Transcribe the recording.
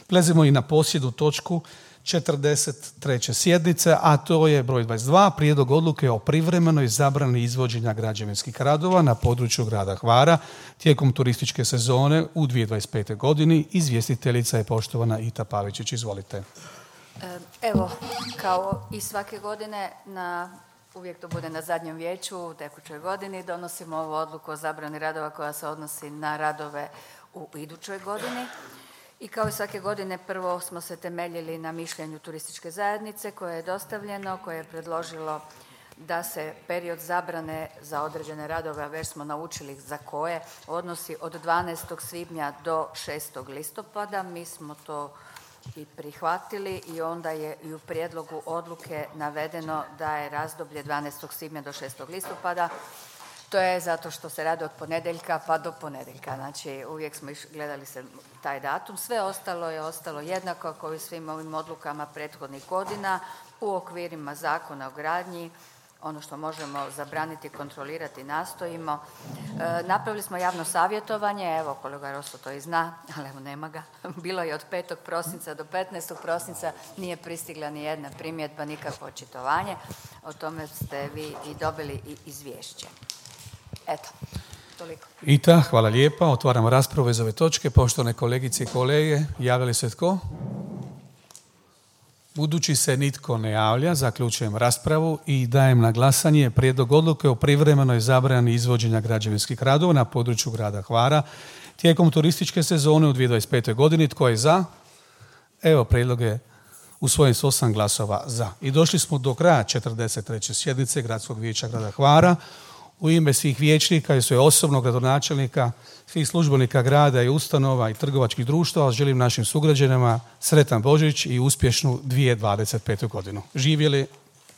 Prelazimo i na posljednju točku 43. sjednice, a to je broj 22, prijedlog odluke o privremenoj zabrani izvođenja građevinskih radova na području grada Hvara tijekom turističke sezone u 2025. godini. Izvjestiteljica je poštovana Ita Pavičić. Izvolite. Evo, kao i svake godine, uvijek to bude na zadnjem vijeću u tekućoj godini, donosimo ovu odluku o zabrani radova koja se odnosi na radove u idućoj godini. I kao i svake godine prvo smo se temeljili na mišljenju turističke zajednice koje je dostavljeno, koje je predložilo da se period zabrane za određene radove, a već smo naučili za koje, odnosi od 12. svibnja do 6. listopada. Mi smo to i prihvatili i onda je i u prijedlogu odluke navedeno da je razdoblje 12. svibnja do 6. listopada. To je zato što se radi od ponedjeljka pa do ponedjeljka. Znači, uvijek smo gledali se taj datum. Sve ostalo je ostalo jednako kao i svim ovim odlukama prethodnih godina u okvirima Zakona o gradnji. Ono što možemo zabraniti, kontrolirati, nastojimo. Napravili smo javno savjetovanje, evo kolega Rosso to i zna, ali evo nema ga. Bilo je od 5. prosinca do 15. prosinca, nije pristigla ni jedna primjedba, nikakvo očitovanje. O tome ste vi i dobili i izvješće. Eto, toliko. Ita, hvala lijepa. Otvaramo raspravu iz ove točke. Poštovane kolegice i kolege, javili se tko? Budući se nitko ne javlja, zaključujem raspravu i dajem na glasanje prijedlog odluke o privremenoj zabrani izvođenja građevinskih radova na području grada Hvara tijekom turističke sezone u 2025. godini. Tko je za? Evo, prijedlog je usvojen s 8 glasova za. I došli smo do kraja 43. sjednice Gradskog vijeća grada Hvara. U ime svih vijećnika i svoje osobnog gradonačelnika, svih službenika grada i ustanova i trgovačkih društava želim našim sugrađanima sretan Božić i uspješnu 2025. godinu. Živjeli!